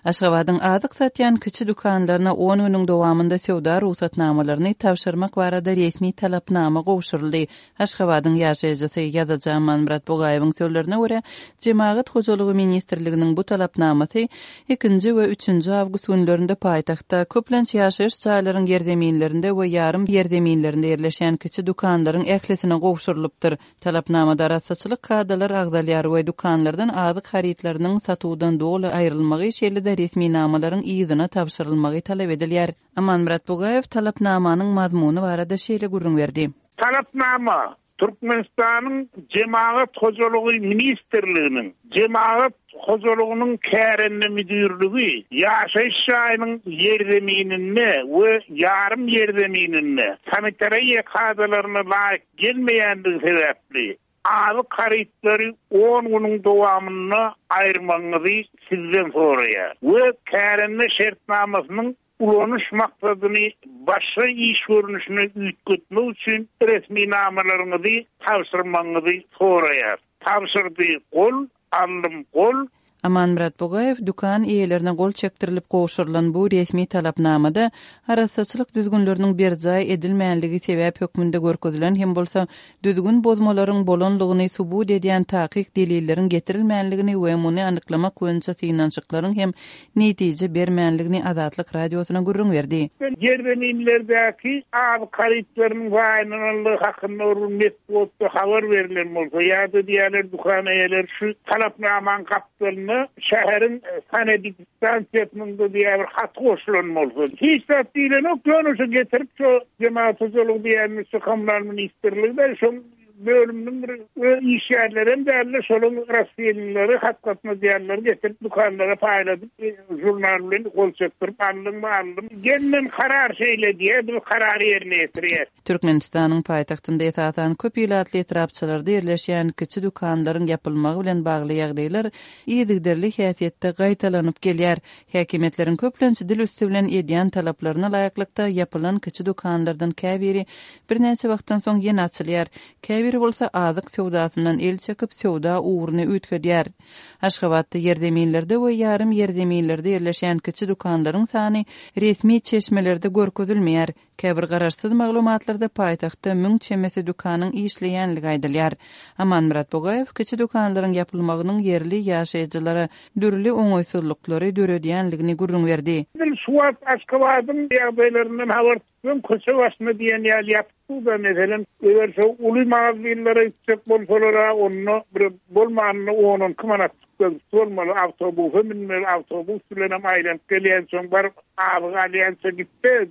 Aşgabadyň azyk satýan kiçi dükanlaryna on günüň dowamynda söwda rugsatnamalaryny tabşyrmak barada resmi talapnama gowşuryldy. Aşgabadyň ýaşaýjysy, ýazyjy Amanmyrat Bugaýewiň sözlerine görä, Jemagat hojalygy ministrliginiň bu talapnamasy ikinji we üçünji awgust günlerinde paýtagtda, köplenç ýaşaýyş jaýlaryň ýerzeminlerinde we ýarym ýerzeminlerinde ýerleşýän kiçi dükanlaryň ählisine gowşurylypdyr. Talapnamada arassaçylyk kadalary agzalýar we dükanlardan azyk harytlarynyň satuwdan doly aýrylmagy, şeýle-de resminamalaryň yzyna tabşyrylmagy talap edilýär. Amanmyrat Bugaýew talapnamanyň mazmuny barada şeýle gürrüň berdi. Talapnama Türkmenistanyň Jemagat hojalygy ministrliginiň Jemagat hojalygynyň kärende müdirligi ýaşaýyş jaýynyň ýerzemininde we ýarym ýerzemininde sanitariýa kadalaryna laýyk gelmeýändigi sebäpli, azyk harytlary on günüň dowamynda aýyrmagyňyzy sizden soraýar we kärende şertnamasynyň ulanyş maksadyny başga iş görnüşine üýtgetmek üçin resminamalaryňyzy tabşyrmagyňyzy soraýar. Tabşyrdy gol, aldym gol. Amanmyrat Bugaýew dükan eýelerine gol çekdirilip gowşurylan bu resmi talapnamada arassaçylyk düzgünleriniň berjaý edilmänligi sebäp hökmünde görkezilen hem bolsa, düzgün bozmalaryň bolanlygyny subut edýän takyk delilleriň getirilmänligini we muny anyklamak boýunça synanyşyklaryň hem netije bermänligini Azatlyk Radiosyna gürrüň berdi. Ýerzeminlerdäki azyk harytlarynyň zaýalananlygy hakynda bir gün metbugatda habar berlen bolsa ýa-da diýýärler dükan eýeleri şu talapnamanyň gapdalynda şäheriň sanepidstansiýasynyň-da diýýär bir haty goşulan bolsa. Hiç zat diýlenok, ýöne şu getirip şu jemagat hojalygy diýýänimiz şu kommunal ministrligi-de şoň bölüminiň bir öz işgärlerem däldi, şolaryň rassylnyleri, hat gatnadýanlary getirip dükanlara paýladyp, žurnal bilen gol çekdirip aldyňmy, aldym. Gelnen karar şeýle diýýär, biz karary ýerine ýetirýäs. Türkmenistanyň paýtagtynda esasan köp ilatly etrapçalarda ýerleşýän kiçi dükanlaryň ýapylmagy bilen bagly ýagdaýlar yzygiderli häsiýetde gaýtalanyp gelýär. Häkimiýetleriň köplenç dil üsti bilen edýän talaplaryna laýyklykda ýapylan kiçi dükanlardan käbiri birnäçe wagtdan soň ýene açylýar, käbiri bolsa azyk söwdasyndan el çekip, söwda ugruny üýtgedýär. Aşgabatda ýerzeminlerde we ýarym ýerzeminlerde ýerleşýän kiçi dükanlaryň sany resmi çeşmelerde görkezilmeýär. Käbir garaşsyz maglumatlarda paýtagtda müň çemesi dükanyň işleýänligi aýdylýar. Amanmyrat Bugaýew kiçi dükanlaryň ýapylmagynyň ýerli ýaşaýjylara dürli oňaýsyzlyklary döredýänligini gürrüň berdi. Edil şu wagt Aşgabadyň ýagdaýlaryndan habar tutsaň, köçe başyna diýen ýaly ýapyk-da, meselem, eger şo uly magazinlere gitjek bolsalar-a, onda bir bolmanynda on-on iki manat çykdajysy bolmaly, awtobusa münmeli, awtobus bilenem aýlanyp gelýänçäň, baryp azyk alýança gitse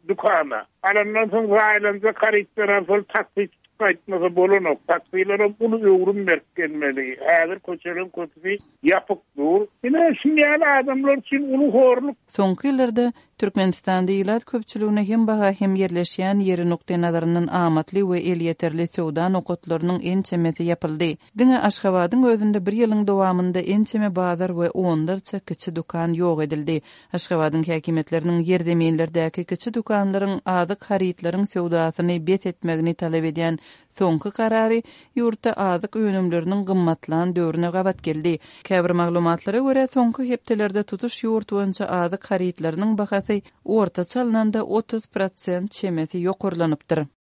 dükana. Alandan soň zaýalanjak harytlar alsaly taksi tutup gaýtmasa bolanok. Taksilerem uly öwrüm berip gelmeli. Häzir köçeleriň köpüsi ýapyk dur. Ine, şuny ýaly adamlar üçin uly horluk. Soňky ýyllarda Türkmenistanda ilat köpçüligine hem baha hem ýerleşýän ýeri nukdaýnazaryndan amatly we elýeterli söwda nokatlarynyň ençemesi ýapyldy. Diňe Aşgabadyň özünde bir ýylyň dowamynda ençeme bazar we onlarça kiçi dükan ýok edildi. Aşgabadyň häkimiýetleriniň ýerzeminlerdäki kiçi dükanlaryň azyk harytlaryň söwdasyny bes etmegini talap edýän Soňky karary ýurtda azyk önümleriniň gymmatlan döwrüne gabat geldi. Käbir maglumatlara görä, soňky hepdelerde tutuş ýurt boýunça azyk harytlarynyň bahasy ortaça alnanda 30 prosent çemesi ýokarlanypdyr.